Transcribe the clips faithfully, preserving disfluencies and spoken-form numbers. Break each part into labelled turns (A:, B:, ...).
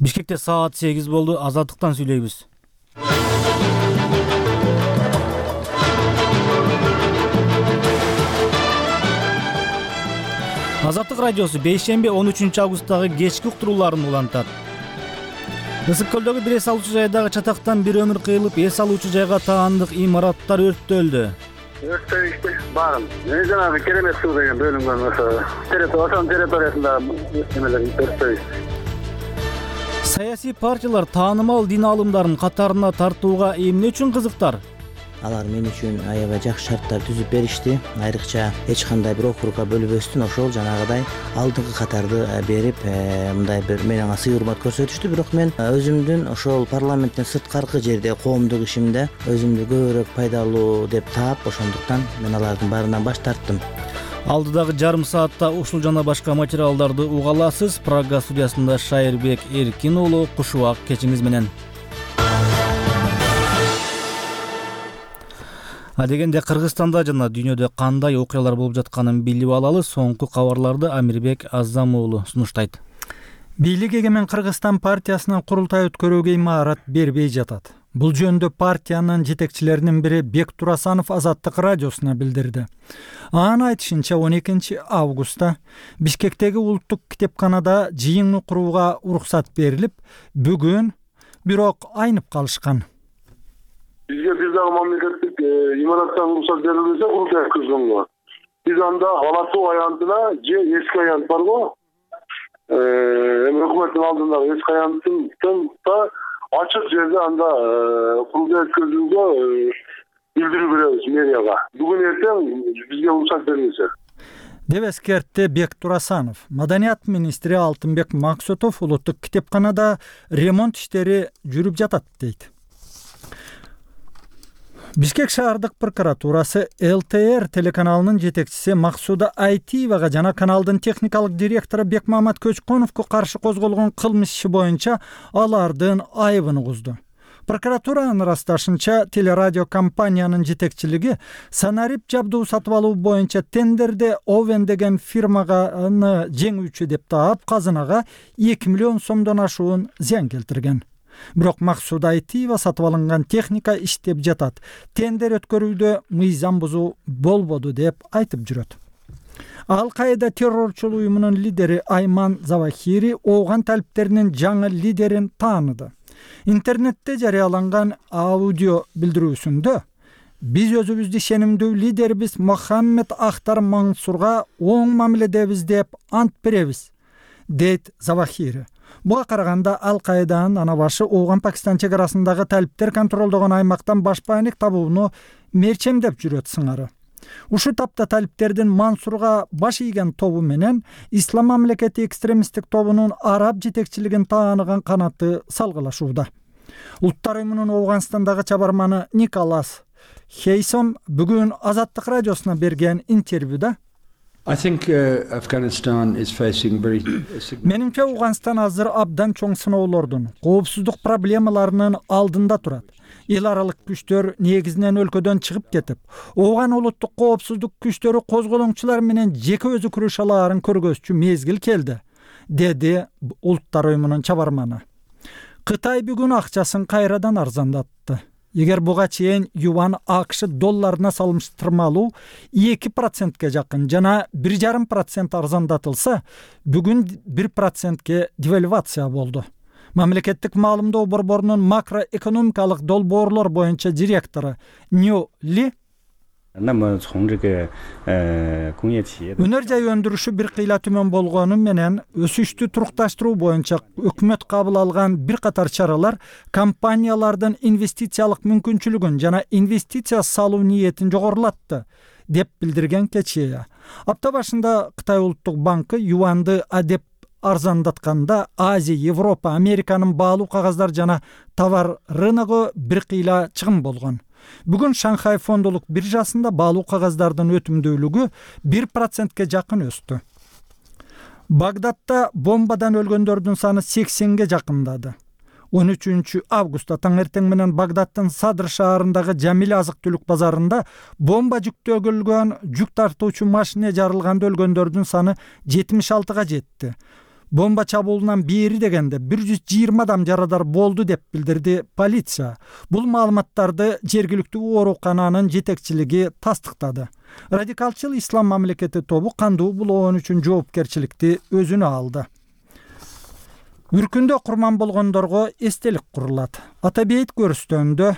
A: Бишкекте саат сегиз болду. Азаттыктан сүйлөйбүз. Азаттык радиосу бейшемби он үчүнчү августтагы кечки уктурууларын улантат. Ысык көлдөгү бир эс алуучу жайдагы чатактан бир өмүр кыйылып, эс алуучу жайга таандык имараттар өрттөлдү.
B: Өрттөйүштү баарын. Мен жанагы керемет суу деген бөлүнгөн ошо территориясын территориясында эмелер өрттөйүштү.
A: Саясий партиялар таанымал дин аалымдарын катарына тартууга эмне үчүн кызыктар?
C: Алар мен үчүн аябай жакшы шарттар түзүп беришти. Айрыкча эч кандай бир округга бөлүнбөстүн ошол жанагыдай алдыңкы катарды берип, мындай бир мен аңа сый урмат көрсөтүштү. Бирок мен өзүмдүн ошол парламенттен сырткаркы жерде коомдук ишимде өзүмдү көбүрөөк пайдалуу деп таап, ошондуктан мен алардын баарынан баш тарттым.
A: Алдыдагы жарым саатта ушул жана башка материалдарды уга аласыз. Прага студиясында Шайырбек Эркин уулу Кушубак кечиңиз менен. Адегенде Кыргызстанда жана дүйнөдө кандай окуялар болуп жатканын билип алалы. Соңку кабарларды Амирбек Азам уулу сунуштайт.
D: Бийлик эгемен Кыргызстан партиясынан курултай өткөрүүгө имарат бербей жатат. Бул жөнүндө партиянын жетекчилеринин бири Бек Турасанов Азаттык радиосуна билдирди. Анын айтышынча он экинчи августта Бишкектеги улуттук китепканада жыйын курууга уруксат берилип, бүгүн бирок айнып калышкан.
B: Бизге бир дагы мамлекеттик имараттан уруксат берилбесе курултай өткөзгөнгө. Биз анда Алатуу аянтына же эски аянт барго? Эми өкмөттүн алдындагы эски аянттын ачык жерде анда курултай өткөзүүгө билдирүү беребиз мэрияга. Бүгүн эртең бизге уруксат берилсе.
D: Деп эскертти Бек Турасанов. Маданият министри Алтынбек Максутов улуттук китепканада ремонт иштери жүрүп жатат дейт. Бишкек шаардык прокуратурасы эл тэ эр телеканалынын жетекчиси Максуда Айтиевага жана каналдын техникалык директору Бекмамат Көчкөновго каршы козголгон кылмыш иши боюнча алардын айыбын угузду. Прокуратуранын ырасташынча, телерадио компаниянын жетекчилиги санарип жабдуу сатып алуу боюнча тендерде Овен деген фирмага жеңүүчү деп таап, казынага эки миллион сомдон ашуун зыян келтирген. Бирок Максуда Айтиева сатып алынган техника иштеп жатат. Тендер өткөрүүдө мыйзам бузуу болбоду деп айтып жүрөт. Ал-Каида террорчулук уюмунун лидери Айман Завахири ооган талиптеринин жаңы лидерин тааныды. Интернетте жарыяланган аудио билдирүүсүндө биз өзүбүздү ишенимдүү лидерибиз Мохаммед Ахтар Мансурга оң мамиледебиз деп ант беребиз, дейт Завахири. Буга караганда Ал-Каиданын ана башы Ооган-Пакистан чек арасындагы талиптер контролдогон аймактан баш байнек табууну мерчемдеп жүрөт сыңары. Ушу тапта талиптердин Мансурга баш ийген тобу менен Ислам мамлекети экстремисттик тобунун араб жетекчилигин тааныган канаты салгылашууда. Улуттар уюмунун Ооганстандагы чабарманы Николас Хейсон бүгүн Азаттык радиосуна берген интервьюда
E: I think uh, Afghanistan is facing very
D: Менимче Ооганстан азыр абдан чоң сыноолордун, коопсуздук проблемаларынын алдында турат. Эл аралык күчтөр негизинен өлкөдөн чыгып кетип, Ооган улуттук коопсуздук күчтөрү козголоңчулар менен жеке өзү күрөшө алаарын көргөзчү мезгил келди, деди Улуттар уюмунун чабарманы. Кытай бүгүн акчасын кайрадан арзандатты. Эгер буга чейин юан АКШ долларына салыштырмалуу эки процентке жакын жана бир жарым процент арзандатылса, бүгүн бир процентке девальвация болду. Мамлекеттик маалымдоо борборунун макроэкономикалык долбоорлор боюнча директору Нью Ли өнөр жай өндүрүшү бир кыйла төмөн болгону менен өсүштү турукташтыруу боюнча өкмөт кабыл алган бир катар чаралар компаниялардын инвестициялык мүмкүнчүлүгүн жана инвестиция салуу ниетин жогорулатты, деп билдирген Кечия. Апта башында Кытай улуттук банкы юанды адеп арзандатканда Азия, Европа, Американын баалуу кагаздар жана товар рыногу бир кыйла чыгым болгон. Бүгүн Шанхай фондолук биржасында баалуу кагаздардын өтүмдүүлүгү бир процентке жакын өстү. Багдадта бомбадан өлгөндөрдүн саны сексенге жакындады. он үчүнчү августта таңертең менен Багдадтын Садр шаарындагы Жамил азык-түлүк базарында бомба жүктөгүлгөн жүк тартуучу машина жарылганда өлгөндөрдүн саны жетимиш алтыга жетти. Бомба чабуулунан бери дегенде бир жүз жыйырма адам жарадар болду деп билдирди полиция. Бул маалыматтарды жергиликтүү оорукананын жетекчилиги тастыктады. Радикалчыл ислам мамлекети тобу кандуу булоон үчүн жоопкерчиликти өзүнө алды. Үркүндө курман болгондорго эстелик курулат. Ата бейит көрүстөндө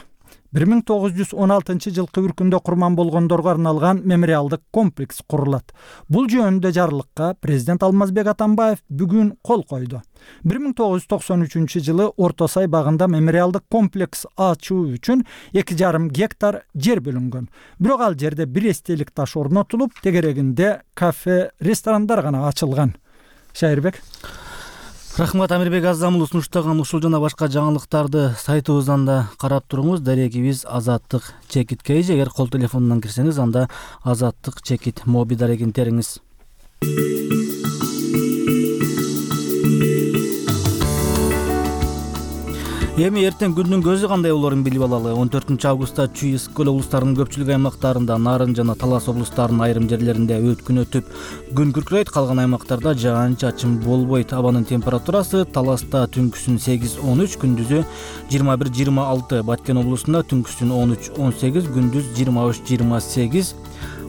D: бир миң тогуз жүз он алтынчы жылкы үркүндө курман болгондорго арналган мемориалдык комплекс курулат. Бул жөнүндө жарлыкка президент Алмазбек Атамбаев бүгүн кол койду. бир миң тогуз жүз токсон үчүнчү жылы Орто Сай багында мемориалдык комплекс ачуу үчүн эки жарым гектар жер бөлүнгөн. Бирок ал жерде бир эстелик таш орнотулуп, тегерегинде кафе, ресторандар гана ачылган. Шайырбек.
A: Рахмат, Амирбек Азамул сунуштаган ушул жана башка жаңылыктарды сайтыбыздан да карап туруңуз. Дарегибиз Азаттык Чекит Кейж. Эгер кол телефонунан кирсеңиз, анда Азаттык Чекит моби дарегин териңиз. Эми эртең күндүн көзү кандай болорун билип алалы. он төртүнчү августта Чүй ысык көл облустарынын көпчүлүк аймактарында, Нарын жана Талас облустарынын айрым жерлеринде өткүн өтүп, күн күркүрөйт, калган аймактарда жаан-чачын болбойт. Абанын температурасы Таласта түнкүсүн сегиз он үч, күндүзү жыйырма бир жыйырма алты, Баткен облусунда түнкүсүн он үч он сегиз, күндүз жыйырма үч жыйырма сегиз,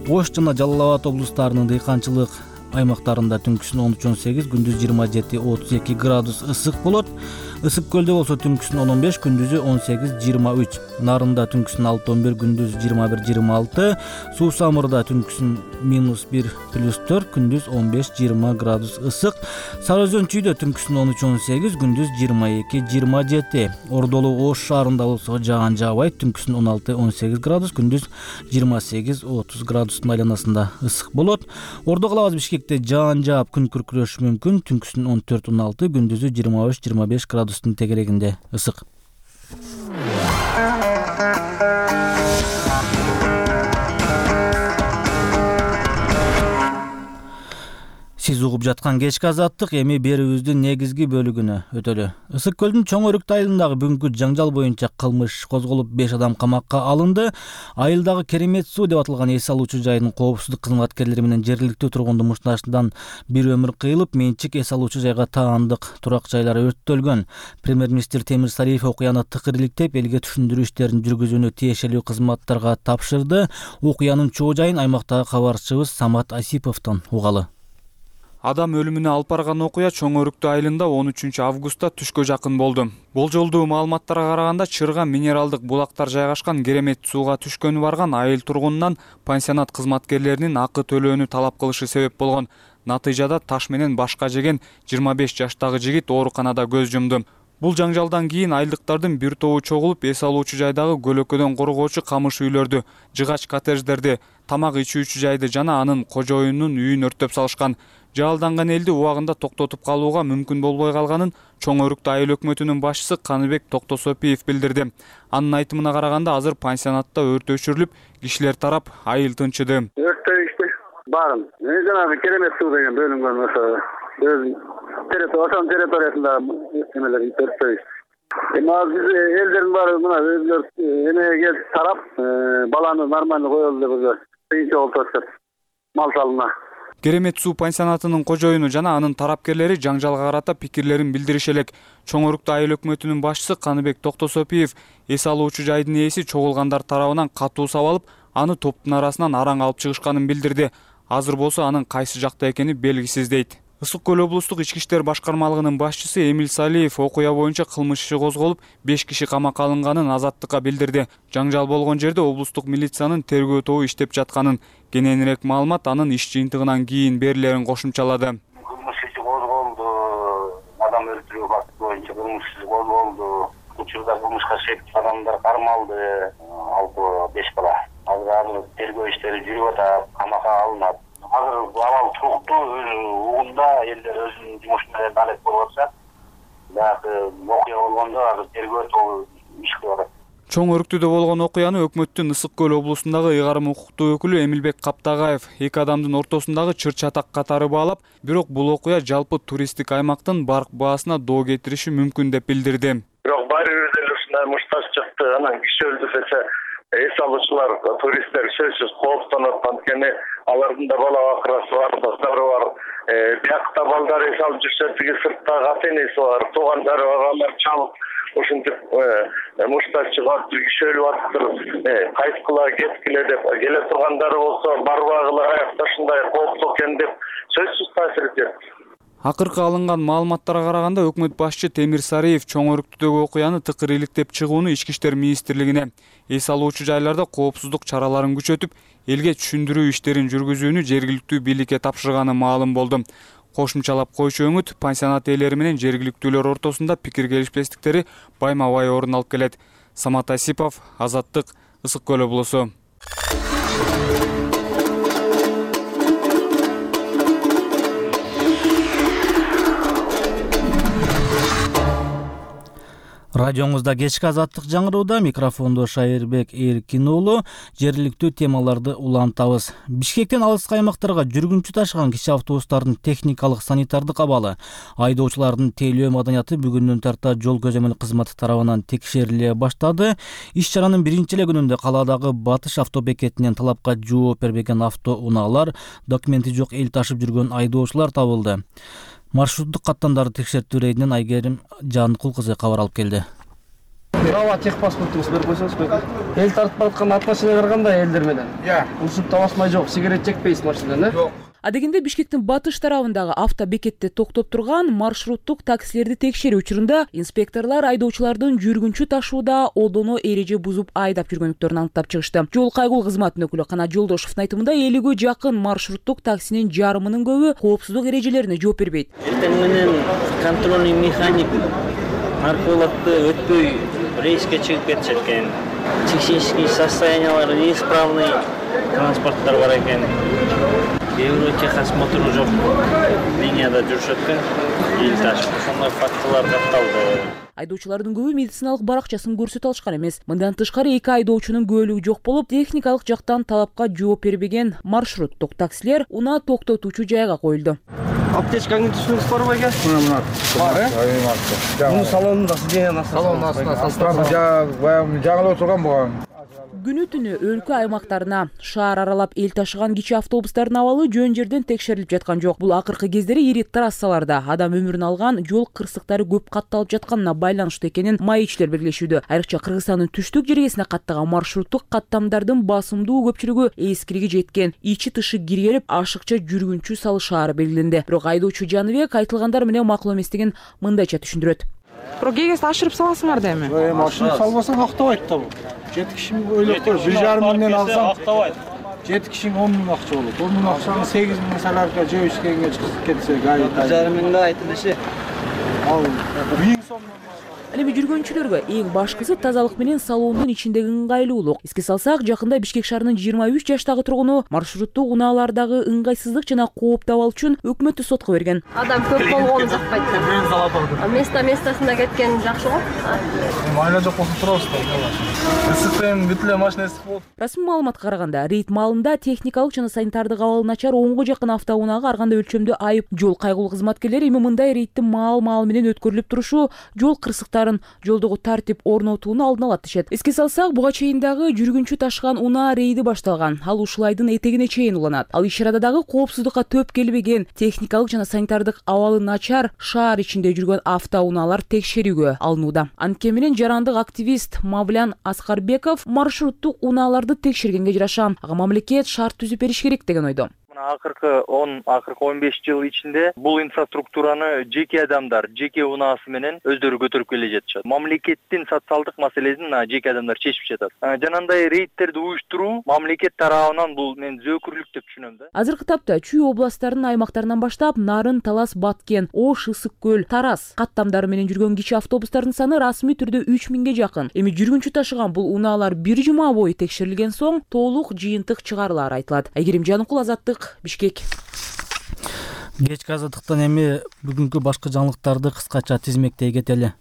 A: Ош жана Жалал Абад облустарынын дыйканчылык аймактарында түнкүсүн он үч он сегиз, күндүз жыйырма жети отуз эки градус ысык болот. Ысык көлдө болсо түнкүсүн он он беш, күндүзү он сегиз жыйырма үч. Нарында түнкүсүн алты он бир, күндүз жыйырма бир жыйырма алты. Суу Самырда түнкүсүн минус бир плюс төрт, күндүз он беш жыйырма градус ысык. Сары Өзөн Чүйдө түнкүсүн он үч он сегиз, күндүз жыйырма эки жыйырма жети. Ордолу Ош шаарында болсо жаан жаабайт, түнкүсүн он алты он сегиз градус, күндүз жыйырма сегиз отуз градустун айланасында ысык болот. Ордо калабыз Бишкекте жаан жаап күн күркүрөшү мүмкүн, түнкүсүн он төрт он алты, күндүзү жыйырма үч жыйырма беш градус тегерегинде ысык. Сиз угуп жаткан кечки азаттык эми берүүбүздүн негизги бөлүгүнө өтөлү. Ысык көлдүн Чоң Өрүктү айылындагы бүгүнкү жаңжал боюнча кылмыш козголуп, беш адам камакка алынды. Айылдагы Керемет суу деп аталган эс алуучу жайдын коопсуздук кызматкерлери менен жергиликтүү тургундун мушташынан бир өмүр кыйылып, менчик эс алуучу жайга таандык турак жайлар өрттөлгөн. Премьер-министр Темир Сариев окуяны тыкыр иликтеп, элге түшүндүрүү иштерин жүргүзүүнү тиешелүү кызматтарга тапшырды. Окуянын чоо жайын аймактагы кабарчыбыз Самат Асиповдон угалы.
F: Адам өлүмүнө алып барган окуя Чоң Өрүктү айылында он үчүнчү августта түшкө жакын болду. Болжолдуу маалыматтарга караганда чырга минералдык булактар жайгашкан Керемет сууга түшкөнү барган айыл тургунунан пансионат кызматкерлеринин акы төлөөнү талап кылышы себеп болгон. Натыйжада таш менен башка жеген жыйырма беш жаштагы жигит ооруканада көз жумду. Бул жаңжалдан кийин айылдыктардын бир тобу чогулуп, эс алуучу жайдагы көлөкөдөн коргоочу камыш үйлөрдү, жыгач коттедждерди, тамак ичүүчү жайды жана анын кожоюнунун үйүн өрттөп салышкан. Жалданган элди убагында токтотуп калууга мүмкүн болбой калганын Чоң Өрүктү айыл өкмөтүнүн башчысы Каныбек Токтосопиев билдирди. Анын айтымына караганда азыр пансионатта өрт өчүрүлүп, кишилер тарап айыл тынчыды.
B: Өрттө ишти барын. Мен жанагы Керемет суу деген бөлүнгөн ошо өз территориясында территориясында эмелер өрттө ишти. Эми биз элдердин баары мына өзүлөр эмеге келип тарап, баланы нормально коелу деп өзү кыйынчы болуп атышат. Мал салына.
F: Керемет суу пансионатынын кожоюну жана анын тарапкерлери жаңжалга карата пикирлерин билдириши элек. Чоң Өрүктү айыл өкмөтүнүн башчысы Каныбек Токтосопиев эс алуучу жайдын ээси чогулгандар тарабынан катуу сабалып, аны топтун арасынан араң алып чыгышканын билдирди. Азыр болсо анын кайсы жакта экени белгисиз дейт. Ысык көл облустук ички иштер башкармалыгынын башчысы Эмил Салиев окуя боюнча кылмыш иши козголуп, беш киши камакка алынганын Азаттыкка билдирди. Жаңжал болгон жерде облустук милициянын тергөө тобу иштеп жатканын, кененирээк маалымат анын иш жыйынтыгынан кийин берилерин кошумчалады.
G: Кылмыш иши козголду, адам өлтүрүү факты боюнча кылмыш иши козголду. Учурда кылмышка шектүү адамдар кармалды, алты беш бала. Азыр тергөө иштери жүрүп атат, камакка алынат. Азыр абал туруктуу, угунда элдер өзүнүн жумуш менен алек болуп атышат. Бирок окуя болгондо азыр тергөө тобу иш кылып атат.
F: Чоң Өрүктүдө болгон окуяны өкмөттүн Ысык көл облусундагы ыйгарым укуктуу өкүлү Эмилбек Каптагаев эки адамдын ортосундагы чыр-чатак катары баалап, бирок бул окуя жалпы туристтик аймактын барк баасына доо кетириши мүмкүн деп билдирди.
B: Бирок баары бир деле ушундай мушташчылыкты анан киши өлтүрсө эс алуучулар, туристтер сөзсүз кооптонот, анткени алардын да бала бакырасы бар, достору бар. Биякта балдар эс алып жүрсө, тиги сырттагы ата энеси бар, туугандары бар, алар чалып ушинтип муштар чыгып, кишөлүп атыптыр, кайткыла, кеткиле деп келе тургандары болсо, барбагыла, аякта ушундай кооптуу экен деп сөзсүз таасир этет.
F: Акыркы алынган маалыматтарга караганда өкмөт башчы Темир Сариев чоң өрүктүдөгү окуяны тыкыр иликтеп чыгууну Ички иштер министрлигине, эс алуучу жайларда коопсуздук чараларын күчөтүп, элге түшүндүрүү иштерин жүргүзүүнү жергиликтүү бийликке тапшырганы маалым болду. Кошумчалап койчу өңүт пансионат ээлери менен жергиликтүүлөр ортосунда пикир келишпестиктери байма-бай орун алып келет. Самат Асипов, Азаттык, Ысык Көл облусу.
A: Радионузда кечки азаттык жаңырууда, микрофондо Шайырбек Эркин уулу. Жергиликтүү темаларды улантабыз. Бишкектен алыскы аймактарга жүргүнчү ташыган кичи автобустардын техникалык санитардык абалы, айдоочулардын тейлөө маданияты бүгүндөн тарта жол көзөмөл кызматы тарабынан текшериле баштады. Иш чаранын биринчи эле күнүндө калаадагы Батыш автобекетинен талапка жооп бербеген автоунаалар, документи жок эл ташып жүргөн айдоочулар табылды. Маршруттук каттамдарды текшертүү рейдинен Айгерим Жанкул кызы кабар алып келди.
H: Права техпаспортуңузду берип койсоңузбу? Эл тартып бараткан атмашинага кандай элдер менен? Иә. Урушуп басмай жок, сигарет чекпейсиз машинадан, э? Жок.
I: Адегенде Бишкектин батыш тарабындагы автобекетте токтоп турган маршруттук таксилерди текшерүү учурунда инспекторлор айдоочулардын жүргүнчү ташууда одоно эреже бузуп айдап жүргөнлүктөрүн аныктап чыгышты. Жол кайгылуу кызматынын өкүлү Канат Жолдошовдун айтымында элүүгө жакын маршруттук таксинин жарымынын көбү коопсуздук эрежелерине жооп бербейт.
C: Эртең менен контрольный механик маркировкты өтпөй рейске чыгып кетишет экен. Технический состояниялары неисправный транспорттор бар экен. Евротехосмотру жок, линияда жүрүшөт экен, эл ташып, ошондой фактылар катталды.
I: Айдоочулардын көбү медициналык баракчасын көрсөтө алышкан эмес. Мындан тышкары эки айдоочунун күбөлүгү жок болуп, техникалык жактан талапка жооп бербеген маршруттук таксилер унаа токтотуучу жайга коюлду.
H: Аптечкаңды түшүрүңүз барбы экен? Мына бар, э? Муну салонунда сиденьянын астына. Салонун астына салып жаңылып турган буга.
I: Күнү түнү өлкө аймактарына шаар аралап эл ташыган кичи автобустардын абалы жөн жерден текшерилип жаткан жок. Бул акыркы кездери ири трассаларда адам өмүрүн алган жол кырсыктары көп катталып жатканына байланыштуу экенин маекчилер белгилешүүдө. Айрыкча Кыргызстандын түштүк жергесине каттаган маршруттук каттамдардын басымдуу көпчүлүгү эскилиги жеткен, ичи тышы киргелип, ашыкча жүргүнчү салышаары белгиленди. Бирок айдоочу Жаныбек айтылгандар менен макул эместигин мындайча түшүндүрөт.
J: Бирок кегесте ашырып саласыңар да эми.
H: Машина салбасаң актабайт да бул. жети киши ойлоп көр, бир жарым миңден алсаң актабайт. жети кишиң он миң акча болот. он миң акчаны сегиз миң саларга жөө ишкенге чыгып кетсе, гайы. бир жарым миңде айтылышы. Ал миң сом.
I: Ал эми жүргөнчүлөргө эң башкысы тазалык менен салондун ичиндеги ыңгайлуулук. Эске салсак, жакында Бишкек шаарынын жыйырма үч жаштагы тургуну маршруттук унаалардагы ыңгайсыздык жана коопту абал үчүн өкмөттү сотко берген.
K: Адам көп болгону жакпайт да. Место местосунда кеткен жакшы го.
H: Майла жок болсо турабыз да. Ысыкпен бүт эле машина ысык болот.
I: Расмий маалыматка караганда, рейд маалында техникалык жана санитардык абалы начар онго жакын автоунаага ар кандай өлчөмдө айып. Жол кайгылуу кызматкерлери эми мындай рейдтин маал-маал менен өткөрүлүп турушу жол кырсыктары жолдогу тартип орнотууну алдын алат дешет. Эске салсак, буга чейин дагы жүргүнчү ташыган унаа рейди башталган. Ал ушул айдын этегине чейин уланат. Ал иш-чарада дагы коопсуздукка төп келбеген, техникалык жана санитардык абалы начар шаар ичинде жүргөн автоунаалар текшерүүгө алынууда. Анткени менен жарандык активист Мавлян Аскарбеков маршруттук унааларды текшергенге жараша ага мамлекет шарт түзүп бериш керек деген ойдо.
L: Акыркы он, акыркы он беш жыл ичинде бул инфраструктураны жеке адамдар, жеке унаасы менен өздөрү көтөрүп келе жатышат. Мамлекеттин социалдык маселесин жеке адамдар чечип жатат. Жанагындай рейдтерди уюштуруу мамлекет тарабынан бул мен зөөкүрлүк деп түшүнөм да.
I: Азыркы тапта Чүй областтарынын аймактарынан баштап Нарын, Талас, Баткен, Ош, Ысык Көл, Тарас каттамдары менен жүргөн кичи автобустардын саны расмий түрдө үч миңге жакын. Эми жүргүнчү ташыган бул унаалар бир жума бою текшерилген соң толук жыйынтык чыгарылары айтылат. Айгерим Жанкул, Азаттык, Бишкек.
A: Кечки азаттыктан эми бүгүнкү башкы жаңылыктарды кыскача тизмектей кетели.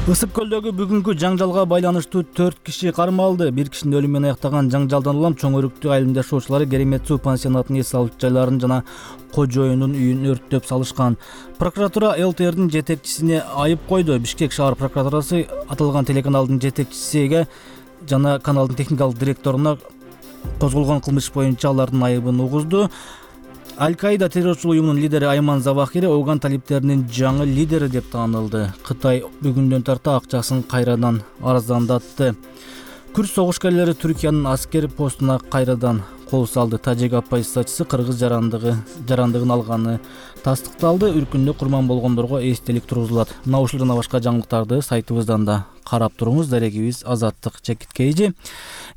A: Ысык көлдөгү бүгүнкү жаңжалга байланыштуу төрт киши кармалды. Бир кишинин өлүмү менен аяктаган жаңжалдан улам Чоң Өрүктү айылында жашоочулар Керемет суу пансионатынын эс алуу жайларын жана кожоюнун үйүн өрттөп салышкан. Прокуратура эл тэ эрдин жетекчисине айып койду. Бишкек шаар прокуратурасы аталган телеканалдын жетекчисиге жана каналдын техникалык директоруна козголгон кылмыш боюнча алардын айыбын угузду. Аль-Каида террорчулук уюмунун лидери Айман Завахири Афган талиптеринин жаңы лидери деп таанылды. Кытай бүгүндөн тарта акчасын кайрадан арзандатты. Күрд согушкерлери Түркиянын аскер постуна кайрадан кол салды. Тажик оппозициячысы кыргыз жарандыгы жарандыгын алганы тастыкталды. Үркүндө курман болгондорго эстелик тургузулат. Мына ушул жана башка жаңылыктарды сайтыбыздан да карап туруңуз. Дарегибиз Азаттык Чекиткейжи.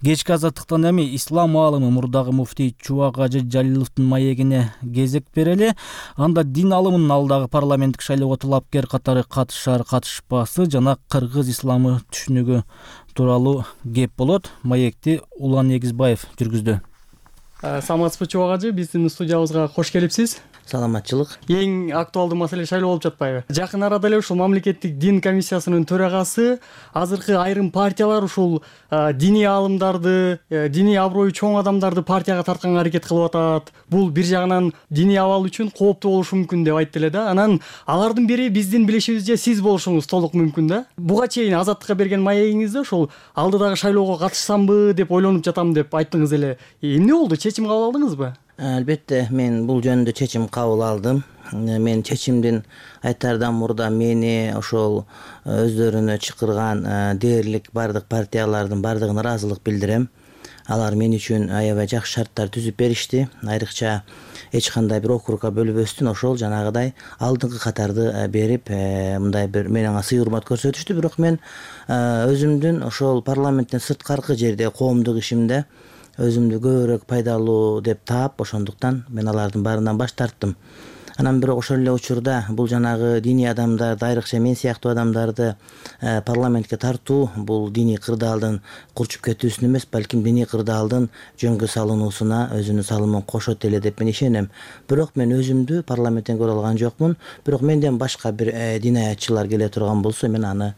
A: Кечки Азаттыктан эми ислам аалымы мурдагы муфтий Чубак Ажы Жалиловдун маегине кезек берели. Анда дин алымынын алдагы парламенттик шайлоого талапкер катары катышар катышпасы жана кыргыз исламы түшүнүгү тууралуу кеп болот. Маекти Улан Эгизбаев жүргүздү.
M: Саламатсызбы Чубак Ажы, биздин студиябызга кош келипсиз.
C: Саламатчылык.
M: Эң актуалдуу маселе шайлоо болуп жатпайбы? Жакын арада эле ушул мамлекеттик дин комиссиясынын төрагасы азыркы айрым партиялар ушул диний аалымдарды, диний аброю чоң адамдарды партияга тартканга аракет кылып атат. Бул бир жагынан диний абал үчүн кооптуу болушу мүмкүн деп айтты эле да. Анан алардын бири биздин билишибизче сиз болушуңуз толук мүмкүн да. Буга чейин Азаттыкка берген маегиңизде ушул алдыдагы шайлоого катышсамбы деп ойлонуп жатам деп айттыңыз эле. Эмне болду? Чечим кабыл алдыңызбы?
C: Албетте, мен бул жөнүндө чечим кабыл алдым. Мен чечимдин айтаардан мурда мени ошол өздөрүнө чакырган дээрлик бардык партиялардын бардыгына ыраазылык билдирем. Алар мен үчүн аябай жакшы шарттар түзүп беришти. Айрыкча эч кандай бир округга бөлүбөстүн ошол жанагыдай алдыңкы катарды берип, мындай бир менен сый урмат көрсөтүштү. Бирок мен өзүмдүн ошол парламенттен сырткаркы жерде коомдук ишимде өзүмдү көбүрөөк пайдалуу деп таап, ошондуктан мен алардын баарынан баш тарттым. Анан бирок ошол эле учурда бул жанагы диний адамдарды, айрыкча мен сыяктуу адамдарды парламентке тартуу бул диний кырдаалдын курчуп кетүүсүнө эмес, балким диний кырдаалдын жөнгө салынуусуна өзүнүн салымын кошот эле деп мен ишенем. Бирок мен өзүмдү парламенттен көрө алган жокмун. Бирок менден башка бир динаятчылар келе турган болсо, мен аны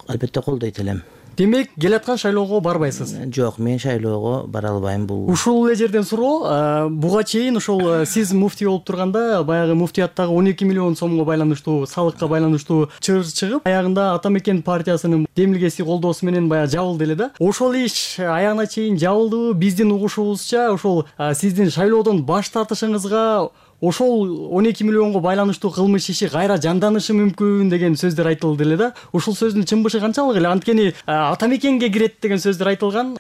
C: албетте колдойт элем.
M: Демек, келаткан шайлоого барбайсыз?
C: Жок, мен шайлоого бара албайм. Бул
M: ушул эле жерден суроо. Буга чейин ошол сиз муфтий болуп турганда, баягы муфтияттагы он эки миллион сомго байланыштуу, салыкка байланыштуу чыгыр чыгып, аягында Ата Мекен партиясынын демилгеси колдоосу менен баягы жабылды эле да. Ошол иш аягына чейин жабылдыбы? Биздин угушубузча, ошол сиздин шайлоодон баш тартышыңызга ошол он эки миллионго байланыштуу кылмыш иши кайра жанданышы мүмкүн деген сөздөр айтылды эле да. Ушул сөздүн чынбышы канчалык эле? Анткени Ата Мекенге кирет деген сөздөр айтылган.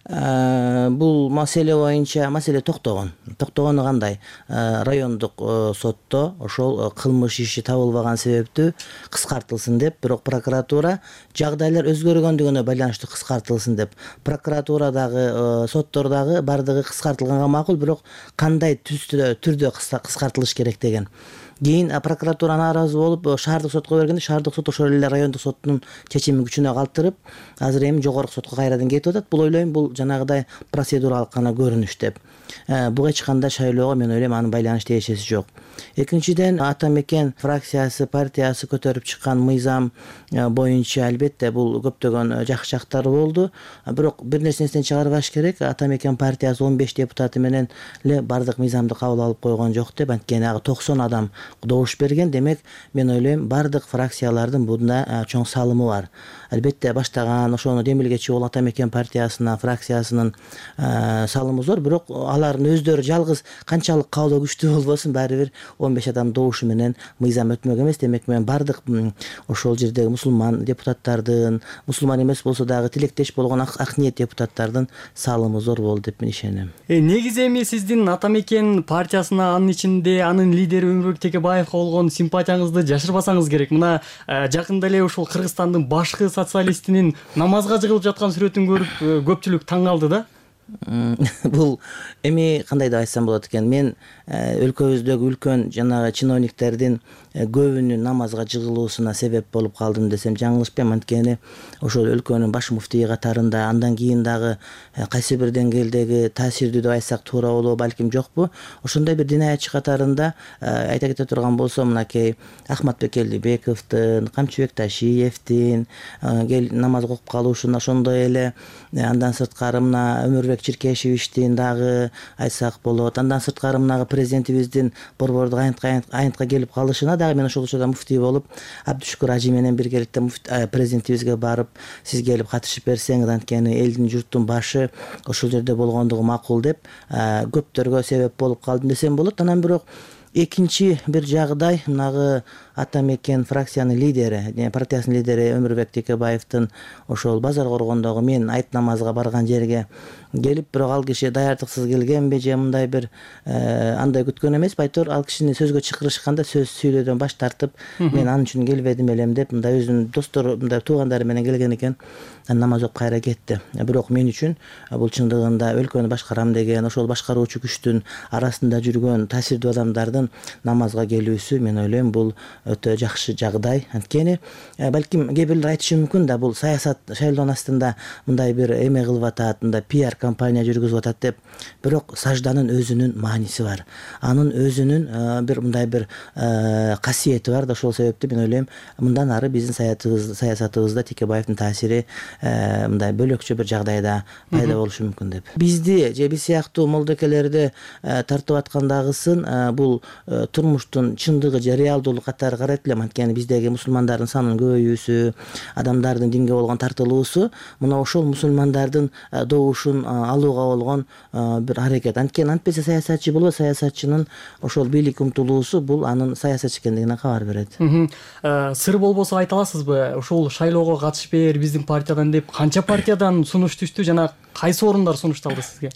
C: Бул маселе боюнча маселе токтогон. Токтогону кандай? Райондук сотто ошол кылмыш иши табылбаган себептүү кыскартылсын деп, бирок прокуратура жагдайлар өзгөргөндүгүнө байланыштуу кыскартылсын деп. Прокуратурадагы, соттордагы бардыгы кыскартылганга макул, бирок кандай түрдө кыскартылыш керек деген. Кийин прокуратура нааразы болуп шаардык сотко бергенде, шаардык сот ошол эле райондук соттун чечимин күчүнө калтырып, азыр эми жогорку сотко кайрадан кетип атат. Бул ойлойм, бул жанагыдай процедуралык гана көрүнүш деп. Буга эч кандай шайлоого мен ойлойм анын байланыш тиешеси жок. Экинчиден, Ата Мекен фракциясы, партиясы көтөрүп чыккан мыйзам боюнча албетте бул көптөгөн жакшы жактары болду. Бирок бир нерсени чыгарбаш керек. Ата Мекен партиясы он беш депутаты менен эле бардык мыйзамды кабыл алып койгон жок деп, анткени ага токсон адам добуш берген. Демек, мен ойлойм, бардык фракциялардын бунда чоң салымы бар. Албетте баштаган ошону демилгечи болуп Ата Мекен партиясына, фракциясынын салымы зор, бирок алардын өздөрү жалгыз канчалык каалоо күчтүү болбосун, баары бир он беш адам добушу менен мыйзам өтмөк эмес. Демек, мен бардык ошол жердеги мусулман депутаттардын, мусулман эмес болсо дагы тилектеш болгон ак ниет депутаттардын салымы зор болду деп мен ишенем.
M: Негизи эми сиздин Ата Мекен партиясына, анын ичинде анын лидери Өмүрбек Текебаевга болгон симпатияңызды жашырбасаңыз керек. Мына жакында эле ушул Кыргызстандын башкы социалистинин намазга жыгылып жаткан сүрөтүн көрүп көпчүлүк таң калды да.
C: Бул эми кандай деп айтсам болот экен? Мен өлкөбүздөгү үлкөн жанагы чиновниктердин көбүнүн намазга жыгылуусуна себеп болуп калдым десем жаңылышпайм. Анткени ошол өлкөнүн баш муфтийи катарында андан кийин дагы кайсы бир деңгээлдеги таасирдүү деп айтсак туура болобу, балким жокпу. Ошондой бир дин аятчы катарында айта кете турган болсом, мынакей Ахматбек Элдибековдун, Камчыбек Ташиевдин намаз окуп калушун, ошондой эле андан сырткары мына Өмүрбек Чиркешевичтин дагы айтсак болот. Андан сырткары мынагы президентибиздин борбордук аянтка келип калышына дагы мен ошол учурда муфтий болуп, Абдушукур Ажи менен биргеликте президентибизге барып, сиз келип катышып берсеңиз, анткени элдин журттун башы ошол жерде болгондугу макул деп көптөргө себеп болуп калдым десем болот. Анан бирок экинчи бир жагдай мынагы ата мекен фракциянын лидери, партиясынын лидери Өмүрбек Текебаевдин ошол базар коргондогу мен айт намазга барган жерге келип, бирок ал киши даярдыксыз келгенби же мындай бир андай күткөн эмеспи, айтор ал кишини сөзгө чакырышканда сөз сүйлөөдөн баш тартып, мен ал үчүн келбедим элем деп, мындай өзүнүн достору, мындай туугандары менен келген экен, намаз окуп кайра кетти. Бирок мен үчүн бул чындыгында өлкөнү башкарам деген, ошол башкаруучу күчтүн арасында жүргөн таасирдүү адамдардын намазга келүүсү, мен ойлойм, бул өтө жакшы жагдай. Анткени балким кээ бирлер айтышы мүмкүн да, бул саясат шайлоонун астында мындай бир эме кылып атат, мындай пиар компания жүргүзүп атат деп. Бирок сажданын өзүнүн мааниси бар. Анын өзүнүн бир мындай бир касиети бар да, ошол себептен мен ойлойм, мындан ары биздин саясатыбызда Текебаевдин таасири мындай бөлөкчө бир жагдайда пайда болушу мүмкүн деп. Бизди же биз сыяктуу молдокелерди тартып аткандагысын бул турмуштун чындыгы же реалдуулук катары карайт элем. Анткени биздеги мусулмандардын санынын көбөйүүсү, адамдардын динге болгон тартылуусу мына ошол мусулмандардын добушун алууга болгон бир аракет. Анткени антпесе саясатчы болбойт, саясатчынын ошол бийликке умтулуусу бул анын саясатчы экендигине кабар берет.
M: Сыр болбосо айта аласызбы, ошол шайлоого катышпээр биздин партиядан деп канча партиядан сунуш түштү жана кайсы орундар сунушталды сизге?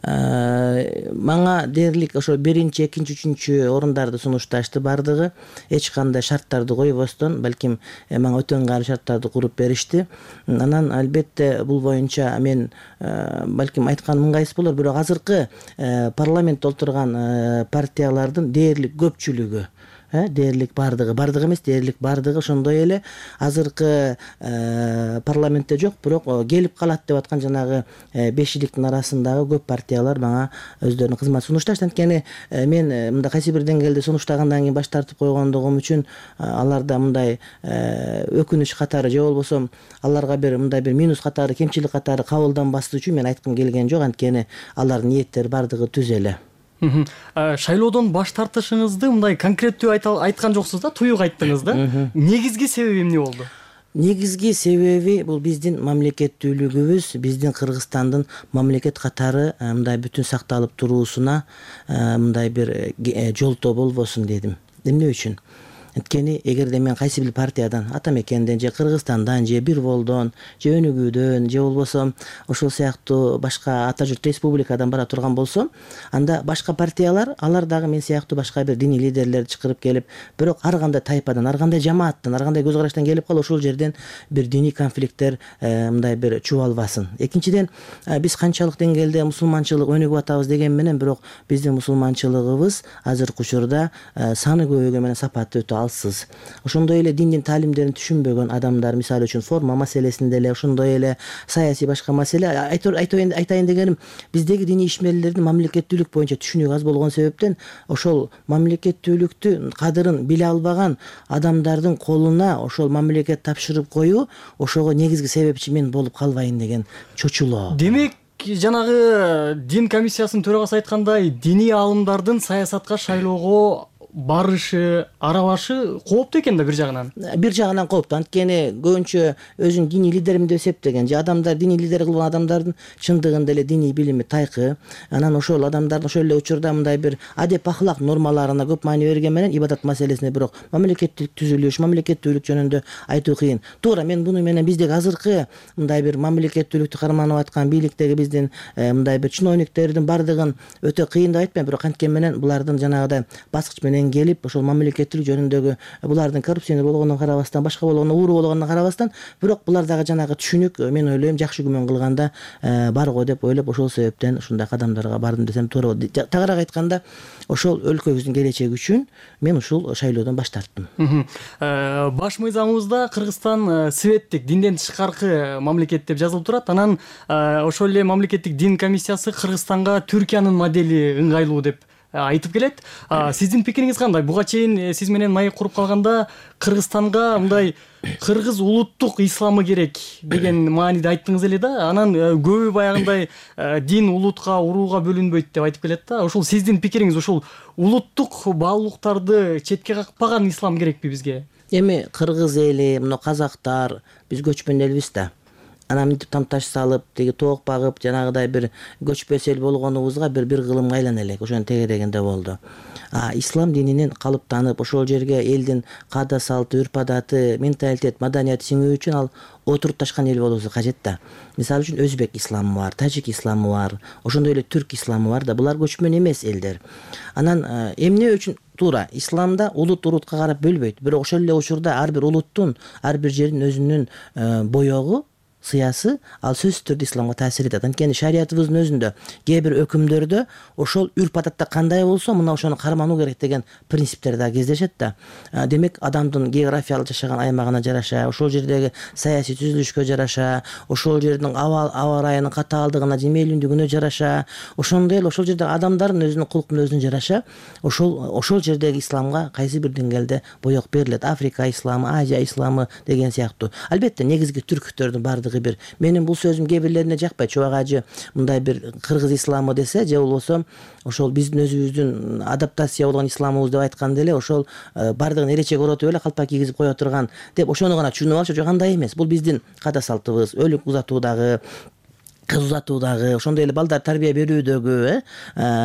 C: Мага дээрлик ошо биринчи, экинчи, үчүнчү орундарды сунушташты бардыгы. Эч кандай шарттарды койбостон, балким мага өтө ыңгайлуу шарттарды куруп беришти. Анан албетте бул боюнча мен балким айтканым ыңгайсыз болор, бирок азыркы парламентте отурган партиялардын дээрлик көпчүлүгү, дээрлик бардыгы, бардыгы эмес, дээрлик бардыгы ошондой эле азыркы парламентте жок, бирок келип калат деп аткан жанагы бешиликтин арасындагы көп партиялар мага өздөрүнүн кызмат сунушташты. Анткени мен мындай кайсы бир деңгээлде сунуштагандан кийин баш тартып койгондугум үчүн аларда мындай өкүнүч катары же болбосо аларга бир мындай бир минус катары, кемчилик катары кабылданбаслык үчүн мен айткым келген жок. Анткени алардын ниеттери бардыгы түз эле.
M: Шайлоодон баш тартышыңызды мындай конкреттүү айткан жоксуз да, туюк айттыңыз да. Негизги себеби эмне болду?
C: Негизги себеби бул биздин мамлекеттүүлүгүбүз, биздин Кыргызстандын мамлекет катары мындай бүтүн сакталып туруусуна мындай бир жолтоо болбосун дедим. Эмне үчүн? Анткени эгерде мен кайсы бир партиядан, ата мекенден же Кыргызстандан же бир болдон же Өнүгүүдөн же болбосо ошол сыяктуу башка ата журт республикадан бара турган болсом, анда башка партиялар, алар дагы мен сыяктуу башка бир диний лидерлерди чакырып келип, бирок ар кандай тайпадан, ар кандай жамааттан, ар кандай көз караштан келип калып, ошол жерден бир диний конфликттер мындай бир чубалбасын. Экинчиден, биз канчалык деңгээлде мусулманчылык өнүгүп атабыз деген менен, бирок биздин мусулманчылыгыбыз азыркы учурда саны көбөйгөн менен сапаты өтө алсыз. Ошондой эле диндин таалимдерин түшүнбөгөн адамдар, мисалы үчүн форма маселесинде эле, ошондой эле саясий башка маселе, айтайын дегеним, биздеги диний ишмерлердин мамлекеттүүлүк боюнча түшүнүгү аз болгон себептен ошол мамлекеттүүлүктү кадырын биле албаган адамдардын колуна ошол мамлекет тапшырып коюу ошого негизги себепчи мен болуп калбайын деген чочулоо.
M: Демек, жанагы дин комиссиясынын төрагасы айткандай, диний аалымдардын саясатка, шайлоого барышы, аралашы кооптуу экен да бир жагынан.
C: Бир жагынан кооптуу. Анткени көбүнчө өзүн диний лидерим деп эсептеген же адамдар диний лидер кылган адамдардын чындыгында эле диний билими тайкы. Анан ошол адамдардын ошол эле учурда мындай бир адеп ахлак нормаларына көп маани берген менен ибадат маселесине бирок мамлекеттик түзүлүш, мамлекеттүүлүк жөнүндө айтуу кыйын. Туура мен буну менен биздеги азыркы мындай бир мамлекеттүүлүктү карманып аткан бийликтеги биздин мындай бир чиновниктердин бардыгын өтө кыйын деп айтпайм, бирок анткен менен булардын жанагыдай баскыч менен менен келип ошол мамлекеттүүлүк жөнүндөгү булардын коррупционер болгонуна карабастан, башка болгонуна, ууру болгонуна карабастан, бирок булар дагы жанагы түшүнүк, мен ойлойм, жакшы күмөн кылганда бар го деп ойлоп, ошол себептен ушундай кадамдарга бардым десем туура болот. Тагыраак айтканда, ошол өлкөбүздүн келечеги үчүн мен ушул шайлоодон баш тарттым.
M: Баш мыйзамыбызда Кыргызстан светтик, динден тышкаркы мамлекет деп жазылып турат. Анан ошол эле мамлекеттик дин комиссиясы Кыргызстанга Түркиянын модели ыңгайлуу деп айтып келет. Сиздин пикириңиз кандай? Буга чейин сиз менен маек куруп калганда Кыргызстанга мындай кыргыз улуттук исламы керек деген мааниде айттыңыз эле да. Анан көбү баягындай дин улутка, урууга бөлүнбөйт деп айтып келет да. Ошол сиздин пикириңиз, ошол улуттук баалуулуктарды четке какпаган ислам керекпи бизге?
C: Эми кыргыз эли, мына казактар, биз көчмөн элбиз да. Анан мынтип тамташ салып, теги тоок багып, жанагыдай бир көчпөс эл болгонубузга бир бир кылымга айлана элек. Ошонун тегерегинде болду. А ислам дининен калыптанып, ошол жерге элдин каада салты, үрп адаты, менталитет, маданияты сиңүү үчүн ал отурупташкан эл болуусу кажет да. Мисалы үчүн өзбек исламы бар, тажик исламы бар, ошондой эле түрк исламы бар да. Булар көчмөн эмес элдер. Анан эмне үчүн туура исламда улут улутка карап бөлбөйт. Бирок ошол эле учурда ар бир улуттун, ар бир жердин өзүнүн боёгу, сыясы ал сөзсүз түрдө исламга таасир этет. Анткени шариятыбыздын өзүндө кээ бир өкүмдөрдө ошол үрп адатта кандай болсо, мына ошону кармануу керек деген принциптер да кездешет да. Демек, адамдын географиялык жашаган аймагына жараша, ошол жердеги саясий түзүлүшкө жараша, ошол жердин аба аба ырайынын катаалдыгына, жемелүндүгүнө жараша, ошондой эле ошол жердеги адамдардын өзүнүн кулуктун өзүнө жараша, ошол ошол жердеги исламга кайсы бир деңгээлде боек берилет. Африка исламы, Азия исламы деген сыяктуу. Албетте, негизги түрктөрдүн бардыгы бир. Менин бул сөзүм кээ бирлерине жакпайт. Чубагажы мындай бир кыргыз исламы десе, же болбосо ошол биздин өзүбүздүн адаптация болгон исламыбыз деп айтканда эле ошол бардыгын эречек оротуп эле калпак кийгизип коё турган деп ошону гана түшүнүп алышат. Жок, андай эмес. Бул биздин каада салтыбыз, өлүк узатуудагы, кыз узатуудагы, ошондой эле балдар тарбия берүүдөгү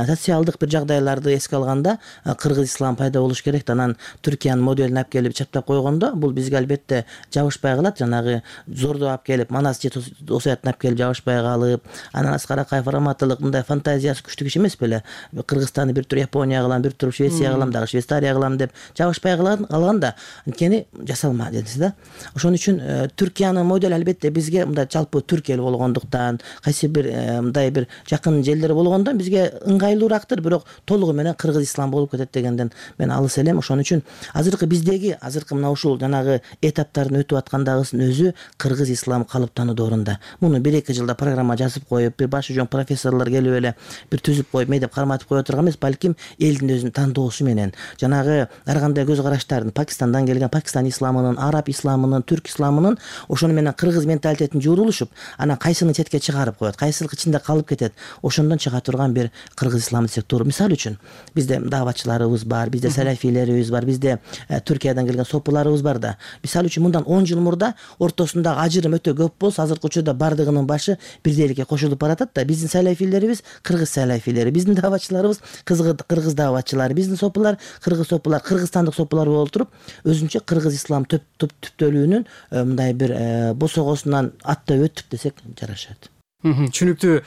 C: социалдык бир жагдайларды эске алганда кыргыз ислам пайда болуш керек. Анан Түркиянын моделин алып келип чаптап койгондо бул бизге албетте жабышпай калат. Жанагы зордоп алып келип, Манас же Осуятын алып келип жабышпай калып, анан Аскар Акаев раматылык мындай фантазиясы күчтүү киши эмес беле. Кыргызстанды бир тур Япония кылам, бир тур Швеция кылам, дагы Швейцария кылам деп жабышпай калганда, анткени жасалма дедиз да. Ошон үчүн Түркиянын модели албетте бизге мындай жалпы түрк эл болгондуктан, кайсы бир мындай бир жакын жерлер болгондо бизге ыңгайлуурактыр, бирок толугу менен кыргыз ислам болуп кетет дегенден мен алыс элем. Ошон үчүн азыркы биздеги азыркы мына ушул жанагы этаптарын өтүп аткандагысынын өзү кыргыз исламы калыптануу доорунда. Муну бир эки жылда программа жазып коюп, бир башы жоң профессорлор келип эле бир түзүп коюп, мей деп карматып кое турган эмес, балким элдин өзүнүн тандоосу менен жанагы ар кандай көз караштардын, Пакистандан келген Пакистан исламынын, араб исламынын, түрк исламынын ошону менен кыргыз менталитетин жуурулушуп, анан кайсыны четке чыгарып коет, кайсылык ичинде калып кетет, ошондон чыга турган бир кыргыз исламы десек туура. Мисалы үчүн бизде даватчыларыбыз бар, бизде салафилерибиз бар, бизде Түркиядан келген сопуларыбыз бар да. Мисалы үчүн мындан он жыл мурда ортосундагы ажырым өтө көп болсо, азыркы учурда бардыгынын башы бирдейликке кошулуп баратат да. Биздин салафилерибиз кыргыз салафилери, биздин даватчыларыбыз кыргыз даватчылары, биздин сопулар кыргыз сопулар, кыргызстандык сопулар болуп туруп, өзүнчө кыргыз ислам түптөлүүнүн мындай бир босогосунан аттап өттүк десек жарашат.
M: Түшүнүктүү.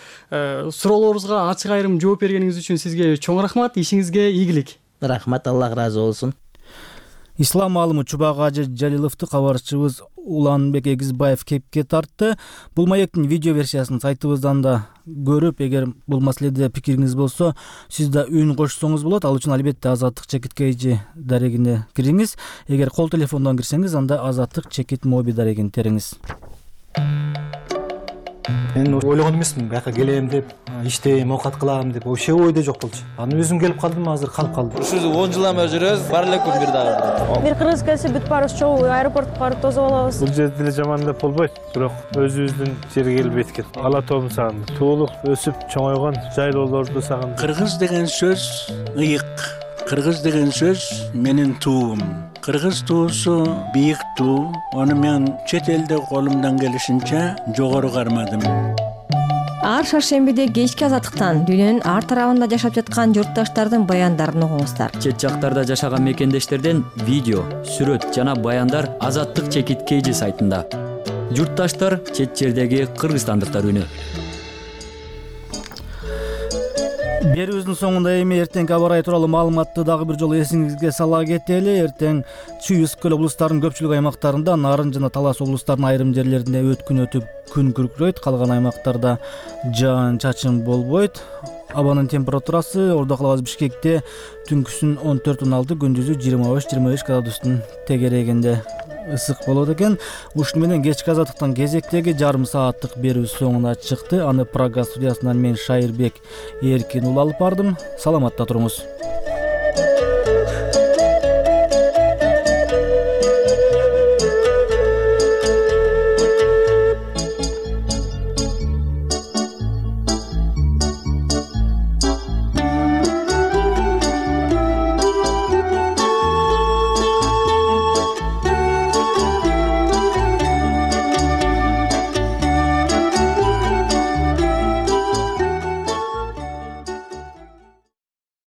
M: Суроолорубузга ачык айрым жооп бергениңиз үчүн сизге чоң рахмат. Ишиңизге ийгилик.
C: Рахмат, Аллах ыраазы болсун.
A: Ислам аалымы Чубагажы Жалиловду кабарчыбыз Уланбек Эгизбаев кепке тартты. Бул маектин видео версиясын сайтыбыздан да көрүп, эгер бул маселеде пикириңиз болсо, сиз да үн кошсоңуз болот. Ал үчүн албетте Азаттык чекит кейжи дарегине кириңиз. Эгер кол телефондон кирсеңиз, анда Азаттык чекит моби дарегин териңиз.
N: Мен ойлогон эмесмин, бияка келем деп, иштейм, оокат кылам деп, вообще ойдо жок болчу. Анан өзүм келип калдым, азыр калып калдым.
O: Ушул он жылдан бери жүрөбүз, бар эле күн бир дагы.
K: Бир кыргыз келсе бүт баарыбыз чогуу аэропортко барып тосуп алабыз.
P: Бул жерде деле жаман деп болбойт, бирок өзүбүздүн жерге келип эткет. Ала тоомду сагындым. Туулуп, өсүп, чоңойгон жайлоолорду сагындым.
Q: Кыргыз деген сөз ыйык. Кыргыз деген сөз менин туум. Кыргыз туусу бийик туу. Аны мен чет элде колумдан келишинче жогору кармадым.
R: Ар шаршембиде кечки азаттыктан дүйнөнүн ар тарабында жашап жаткан журтташтардын баяндарын угуңуздар.
S: Чет жактарда жашаган мекендештерден видео, сүрөт жана баяндар Азаттык чекит кейжи сайтында. Журтташтар чет жердеги кыргызстандыктар үнү.
A: Берүүбүздүн соңунда эми эртеңки аба ырайы тууралуу маалыматты дагы бир жолу эсиңизге сала кетели. Эртең Чүй Ысык көл облустарынын көпчүлүк аймактарында, Нарын жана Талас облустарынын айрым жерлеринде өткүн өтүп күн күркүрөйт, калган аймактарда жаан-чачын болбойт. Абанын температурасы Ордо калабыз Бишкекте түнкүсүн он төрт он алты, күндүзү жыйырма беш жыйырма беш градустун тегерегинде ысык болот экен. Ушуну менен кечки азаттыктан кезектеги жарым сааттык берүү соңуна чыкты. Аны Прага студиясынан мен Шайырбек Эркин уулу алып бардым. Саламатта туруңуз.